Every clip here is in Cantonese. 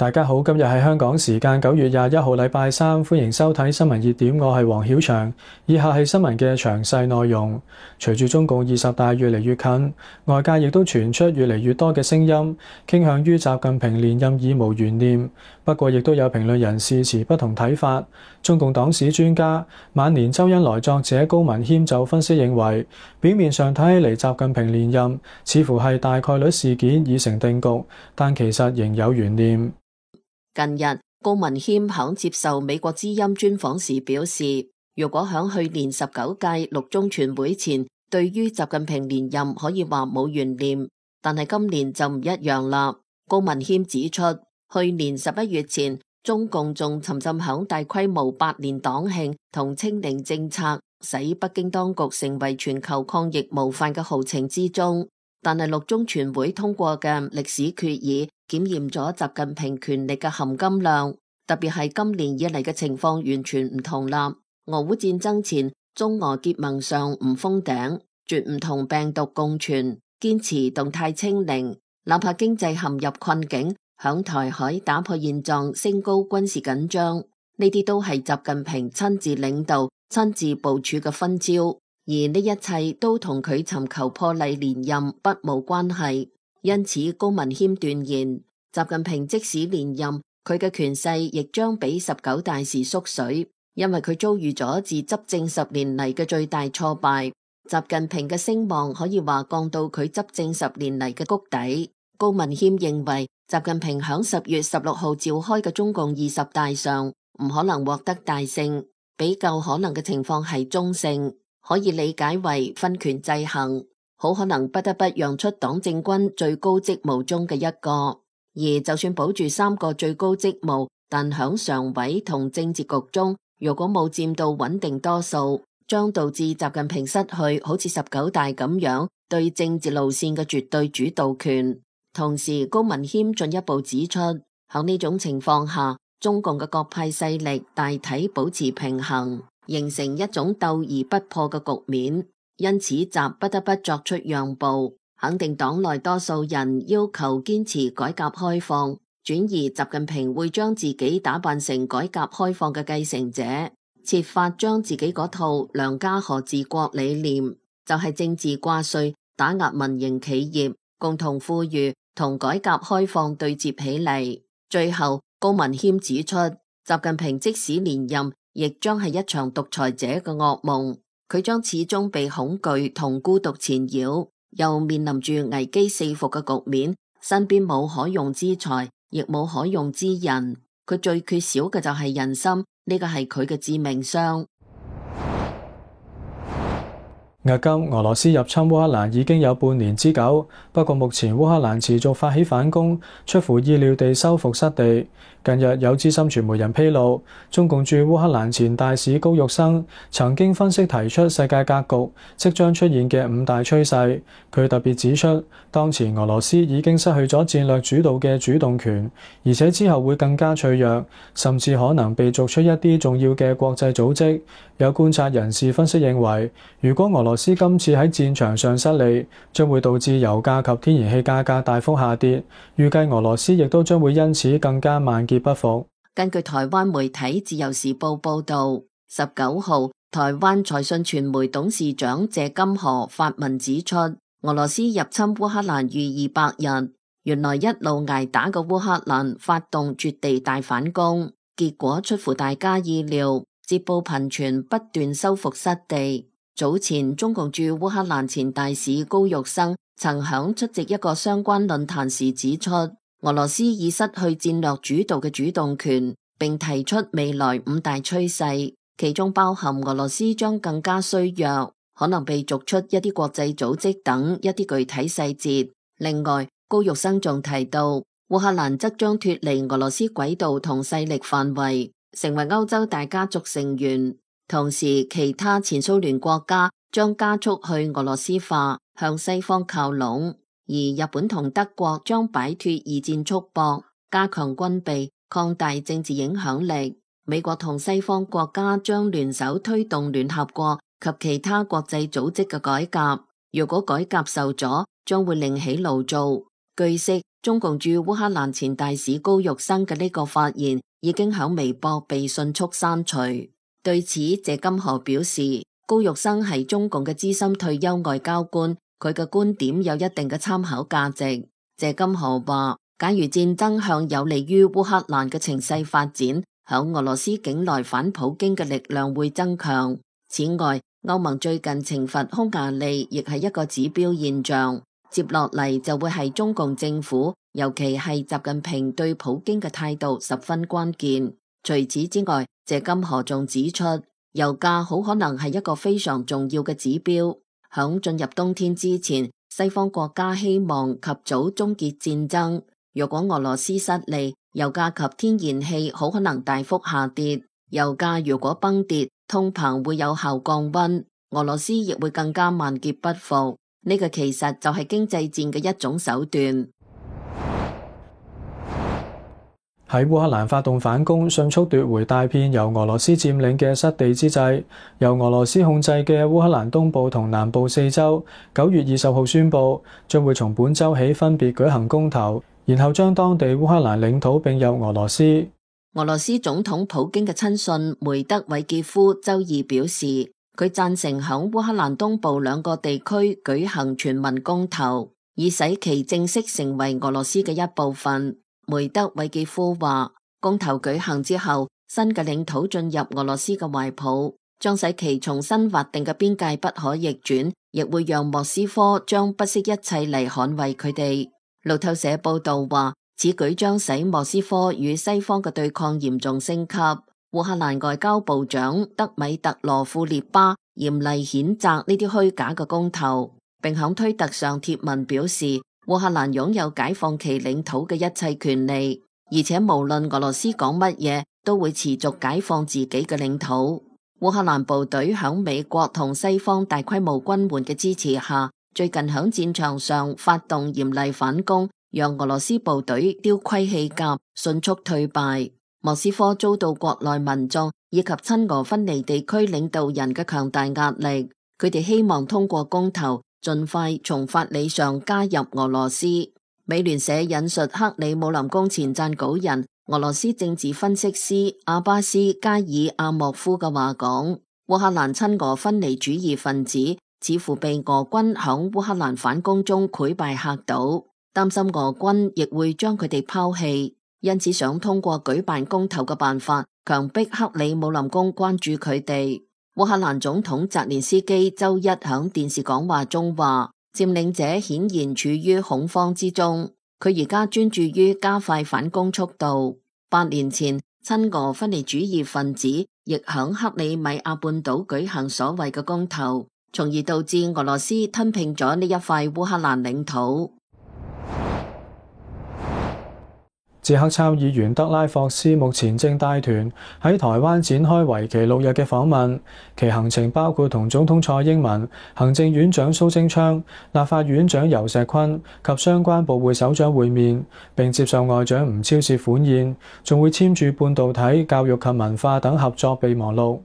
大家好，今日係香港時間9月21號禮拜三，歡迎收睇新聞熱點，我係黃曉翔。以下係新聞嘅詳細內容。隨住中共20大越嚟越近，外界亦都傳出越嚟越多嘅聲音，傾向於習近平連任已無懸念。不過，亦都有評論人士持不同睇法。中共黨史專家、晚年周恩來作者高文謙就分析認為，表面上睇起嚟習近平連任似乎係大概率事件已成定局，但其實仍有懸念。近日，高文謙響接受美國之音專訪時表示，如果響去年19屆六中全會前，對於習近平連任可以話冇懸念，但係今年就唔一樣啦。高文謙指出，去年11月前，中共仲沉浸響大規模百年黨慶同清零政策，使北京當局成為全球抗疫模範嘅豪情之中。但係六中全會通過嘅歷史決議，檢驗咗習近平權力嘅含金量，特別係今年以嚟嘅情況完全唔同啦。俄烏戰爭前，中俄結盟上唔封頂，絕唔同病毒共存，堅持動態清零，哪怕經濟陷入困境，響台海打破現狀，升高軍事緊張，呢啲都係習近平親自領導、親自部署嘅分招。而呢一切都同佢尋求破例連任不無關係，因此高文謙斷言，習近平即使連任，佢嘅權勢亦將比19大時縮水，因為佢遭遇咗自執政10年嚟嘅最大挫敗。習近平嘅聲望可以話降到佢執政10年嚟嘅谷底。高文謙認為，習近平響10月16號召開嘅中共20大上，唔可能獲得大勝，比較可能嘅情況係中勝。可以理解為分權制衡，好可能不得不讓出黨政軍最高職務中嘅一個。而就算保住3個最高職務，但響常委同政治局中，如果冇佔到穩定多數，將導致習近平失去好似19大咁樣對政治路線嘅絕對主導權。同時，高文謙進一步指出，響呢種情況下，中共嘅各派勢力大體保持平衡，形成一種鬥而不破嘅局面，因此習不得不作出讓步，肯定黨內多數人要求堅持改革開放，轉而習近平會將自己打扮成改革開放嘅繼承者，設法將自己嗰套良家河治國理念，就係政治掛帥、打壓民營企業、共同富裕同改革開放對接起嚟。最後，高文謙指出，習近平即使連任，亦將係一場獨裁者嘅噩夢，佢將始終被恐懼同孤獨纏繞，又面臨住危機四伏嘅局面，身邊冇可用之才，亦冇可用之人，佢最缺少嘅就係人心，呢個係佢嘅致命傷。迄今，俄羅斯入侵烏克蘭已經有半年之久，不過目前烏克蘭持續發起反攻，出乎意料地收復失地。近日有資深傳媒人披露，中共駐烏克蘭前大使高玉生曾經分析提出世界格局即將出現嘅5大趨勢。佢特別指出，當前俄羅斯已經失去咗戰略主導嘅主動權，而且之後會更加脆弱，甚至可能被逐出一啲重要嘅國際組織。有觀察人士分析認為，如果俄羅斯今次喺戰場上失利，將會導致油價及天然氣價格大幅下跌，預計俄羅斯亦都將會因此更加萬劫不復。根據台灣媒體自由時報報道，19號台灣財訊傳媒董事長謝金河發文指出，俄羅斯入侵烏克蘭逾200日，原來一路捱打嘅烏克蘭發動絕地大反攻，結果出乎大家意料，捷報頻傳，不斷收復失地。早前中共駐烏克蘭前大使高玉生曾響出席一個相關論壇時指出，俄羅斯已失去戰略主導嘅主動權，並提出未來5大趨勢，其中包含俄羅斯將更加衰弱，可能被逐出一啲國際組織等一啲具體細節。另外，高玉生仲提到，烏克蘭則將脫離俄羅斯軌道同勢力範圍，成為歐洲大家族成員。同時，其他前蘇聯國家將加速去俄羅斯化，向西方靠攏，而日本同德國將擺脫二戰束縛，加強軍備，擴大政治影響力。美國同西方國家將聯手推動聯合國及其他國際組織嘅改革。如果改革受阻，將會另起爐灶。據悉，中共駐烏克蘭前大使高玉生嘅呢個發言已經響微博被迅速刪除。對此，謝金河表示，高玉生係中共嘅資深退休外交官，佢嘅觀點有一定嘅參考價值。謝金河話，假如戰爭向有利於烏克蘭嘅情勢發展，響俄羅斯境內反普京嘅力量會增強。此外，歐盟最近懲罰匈牙利亦係一個指標現象。接落嚟就會係中共政府，尤其係習近平對普京嘅態度十分關鍵。除此之外，謝金河仲指出，油價好可能係一個非常重要嘅指標。響進入冬天之前，西方國家希望及早終結戰爭。若果俄羅斯失利，油價及天然氣好可能大幅下跌。油價如果崩跌，通膨會有效降溫，俄羅斯亦會更加萬劫不復。呢個其實就係經濟戰嘅一種手段。喺烏克蘭發動反攻，迅速奪回大片由俄羅斯佔領嘅失地之際，由俄羅斯控制嘅烏克蘭東部同南部4州9月20號宣布，將會從本週起分別舉行公投，然後將當地烏克蘭領土併入俄羅斯。俄羅斯總統普京嘅親信梅德韋傑夫週二表示，佢贊成響烏克蘭東部2個地區舉行全民公投，以使其正式成為俄羅斯嘅一部分。梅德韋傑夫話，公投舉行之後，新嘅領土進入俄羅斯嘅懷抱，將使其重新劃定嘅邊界不可逆轉，亦會讓莫斯科將不惜一切嚟捍衛佢哋。路透社報道話，此舉將使莫斯科與西方嘅對抗嚴重升級。烏克蘭外交部長德米特羅庫列巴嚴厲譴責呢啲虛假嘅公投，並響推特上貼文表示，烏克蘭擁有解放其領土嘅一切權利，而且無論俄羅斯講乜嘢，都會持續解放自己嘅領土。烏克蘭部隊響美國同西方大規模軍援嘅支持下，最近響戰場上發動嚴厲反攻，讓俄羅斯部隊丟盔棄甲，迅速退敗。莫斯科遭到國內民眾以及親俄分離地區領導人嘅強大壓力，佢哋希望通過公投盡快從法理上加入俄羅斯。美聯社引述克里姆林宮前撰稿人、俄羅斯政治分析師阿巴斯加爾阿莫夫嘅話講，烏克蘭親俄分離主義分子似乎被俄軍響烏克蘭反攻中潰敗嚇到，擔心俄軍亦會將佢哋拋棄，因此想通過舉辦公投嘅辦法強迫克里姆林宮關注佢哋。烏克蘭總統澤連斯基周一響電視講話中話，佔領者顯然處於恐慌之中，佢而家專注於加快反攻速度。8年前，親俄分離主義分子亦響克里米亞半島舉行所謂嘅公投，從而導致俄羅斯吞併咗呢一塊烏克蘭領土。捷克參議員德拉霍斯目前正帶團喺台灣展開為期6日嘅訪問，其行程包括同總統蔡英文、行政院長蘇貞昌、立法院長游錫堃及相關部會首長會面，並接受外長吳釗燮款宴，仲會簽署半導體、教育及文化等合作備忘錄。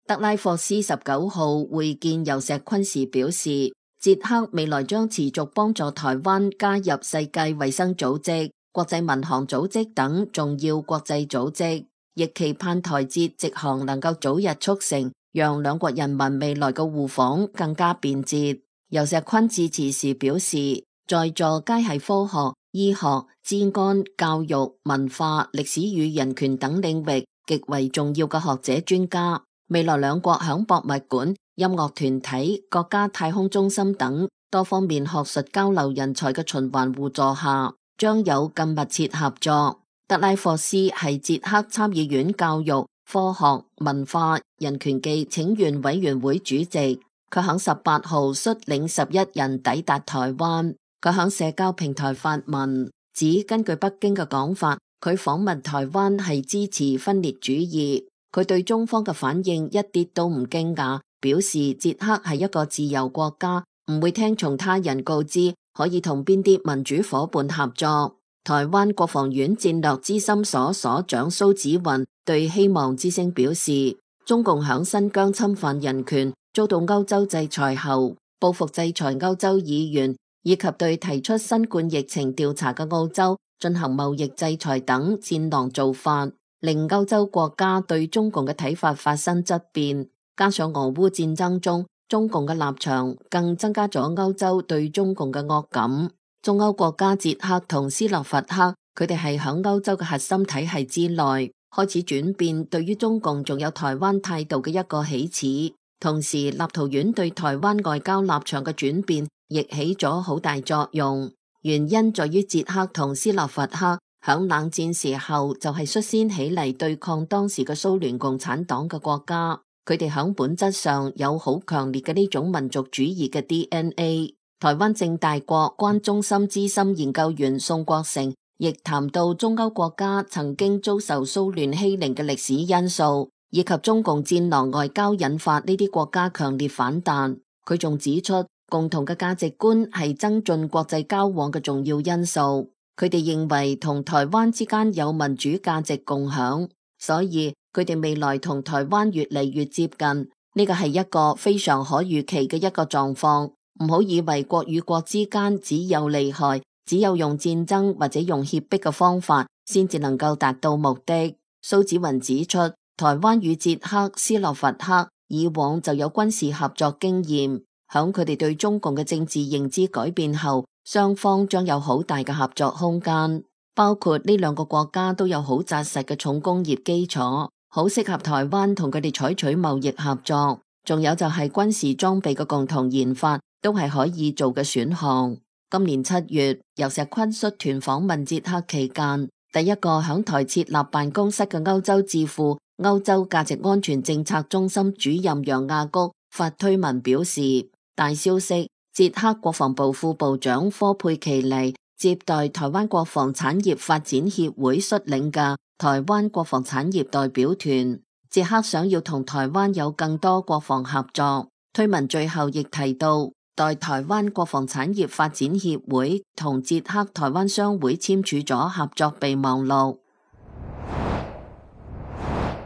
德拉霍斯19號會見游錫堃時表示，捷克未來將持續幫助台灣加入世界衛生組織、國際民航組織等重要國際組織，亦期盼台捷直航能夠早日促成，讓兩國人民未來嘅互訪更加便捷。游錫堃致辭時表示，在座皆係科學、醫學、治安、教育、文化、歷史與人權等領域極為重要嘅學者專家。未來兩國響博物館、音樂團體、國家太空中心等多方面學術交流人才嘅循環互助下，將有更密切合作。德拉霍斯係捷克參議院教育、科學、文化、人權暨請願委員會主席，佢響18號率領11人抵達台灣。佢響社交平台發文，指根據北京嘅講法，佢訪問台灣係支持分裂主義。佢對中方嘅反應一啲都唔驚訝，表示捷克係一個自由國家，唔會聽從他人告知可以同邊啲民主夥伴合作。台灣國防院戰略資深所所長蘇紫雲對希望之聲表示，中共響新疆侵犯人權，遭到歐洲制裁後，報復制裁歐洲議員，以及對提出新冠疫情調查嘅澳洲進行貿易制裁等戰狼做法，令歐洲國家對中共嘅睇法發生質變。加上俄烏戰爭中中共嘅立場，更增加咗歐洲對中共嘅惡感。中歐國家捷克同斯洛伐克，佢哋係響歐洲嘅核心體系之內，開始轉變對於中共仲有台灣態度嘅一個起始。同時，立陶宛對台灣外交立場嘅轉變亦起咗好大作用。原因在於捷克同斯洛伐克響冷戰時候就係率先起嚟對抗當時嘅蘇聯共產黨嘅國家，佢哋響本質上有好強烈嘅呢種民族主義嘅 DNA。台灣政大國關中心資深研究員宋國成亦談到中歐國家曾經遭受蘇聯欺凌嘅歷史因素，以及中共戰狼外交引發呢啲國家強烈反彈。佢仲指出，共同嘅價值觀係增進國際交往嘅重要因素。佢哋認為同台灣之間有民主價值共享，所以佢哋未來同台灣越嚟越接近。呢個係一個非常可預期嘅一個狀況。唔好以為國與國之間只有利害，只有用戰爭或者用脅迫嘅方法先至能夠達到目的。蘇紫雲指出，台灣與捷克、斯洛伐克以往就有軍事合作經驗，響佢哋對中共嘅政治認知改變後，雙方將有好大嘅合作空間。包括呢兩個國家都有好紮實嘅重工業基礎，好適合台灣同佢哋採取貿易合作。仲有就係軍事裝備嘅共同研發，都係可以做嘅選項。今年7月，由石坤率團訪問捷克期間，第一個響台設立辦公室嘅歐洲智庫歐洲價值安全政策中心主任楊亞谷發推文表示，大消息，捷克國防部副部長科佩奇尼接待台灣國防產業發展協會率領嘅台灣國防產業代表團。捷克想要同台灣有更多國防合作。推文最後亦提到，代台灣國防產業發展協會同捷克台灣商會簽署咗合作備忘錄。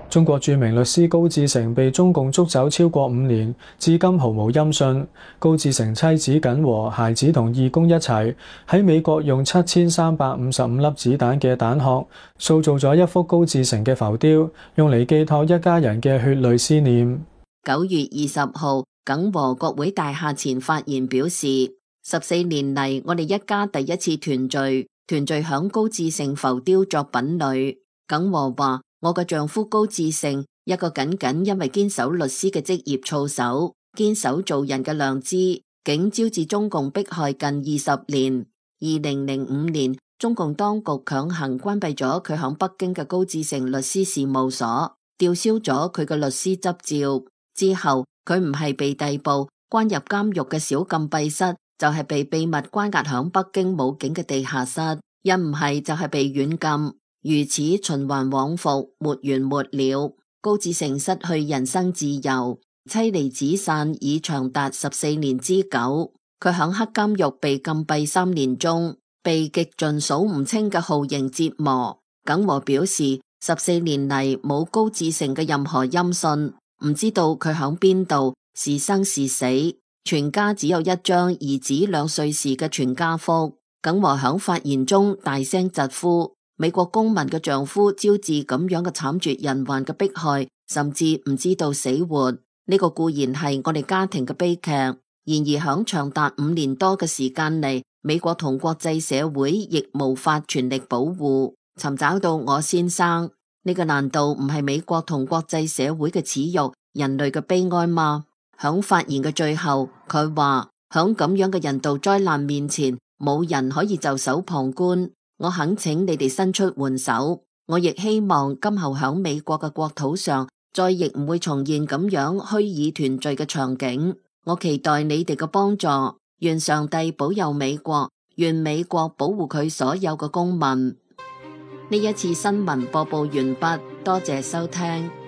中國著名律師高志成被中共捉走超過5年，至今毫無音訊。高志成妻子謹和、孩子同義工一齊喺美國用7355粒子彈嘅彈殼塑造咗一幅高志成嘅浮雕，用嚟寄託一家人嘅血淚思念。9月20號，謹和國會大廈前發言表示，14年嚟我哋一家第一次團聚響高志成浮雕作品裏。謹和話，我嘅丈夫高志成，一個僅僅因為堅守律師嘅職業操守，堅守做人嘅良知，竟招致中共迫害近20年。2005年，中共當局強行關閉咗佢響北京嘅高志成律師事務所，吊銷咗佢嘅律師執照。之後，佢唔係被逮捕關入監獄嘅小禁閉室，就係被秘密關押響北京武警嘅地下室，一唔係就係被軟禁。如此循環往復，沒完沒了。高志成失去人身自由，妻離子散已長達14年之久。佢響黑監獄被禁閉3年中，被極盡數唔清嘅酷刑折磨。謹和表示，14年嚟冇高志成嘅任何音訊，唔知道佢響邊度，是生是死。全家只有一張兒子2歲時嘅全家福。謹和響發言中大聲疾呼，美國公民嘅丈夫招致咁樣嘅慘絕人寰嘅迫害，甚至唔知道死活。呢個固然係我哋家庭嘅悲劇，然而響長達5年多嘅時間嚟，美國同國際社會亦無法全力保護尋找到我先生。呢個難道唔係美國同國際社會嘅恥辱，人類嘅悲哀嗎？響發言嘅最後，佢話響咁樣嘅人道災難面前，冇人可以袖手旁觀。我懇請你哋伸出援手，我亦希望今後響美國嘅國土上，再亦唔會重現咁樣虛擬團聚嘅場景。我期待你哋嘅幫助，願上帝保佑美國，願美國保護佢所有嘅公民。呢一次新聞播報完畢，多謝收聽。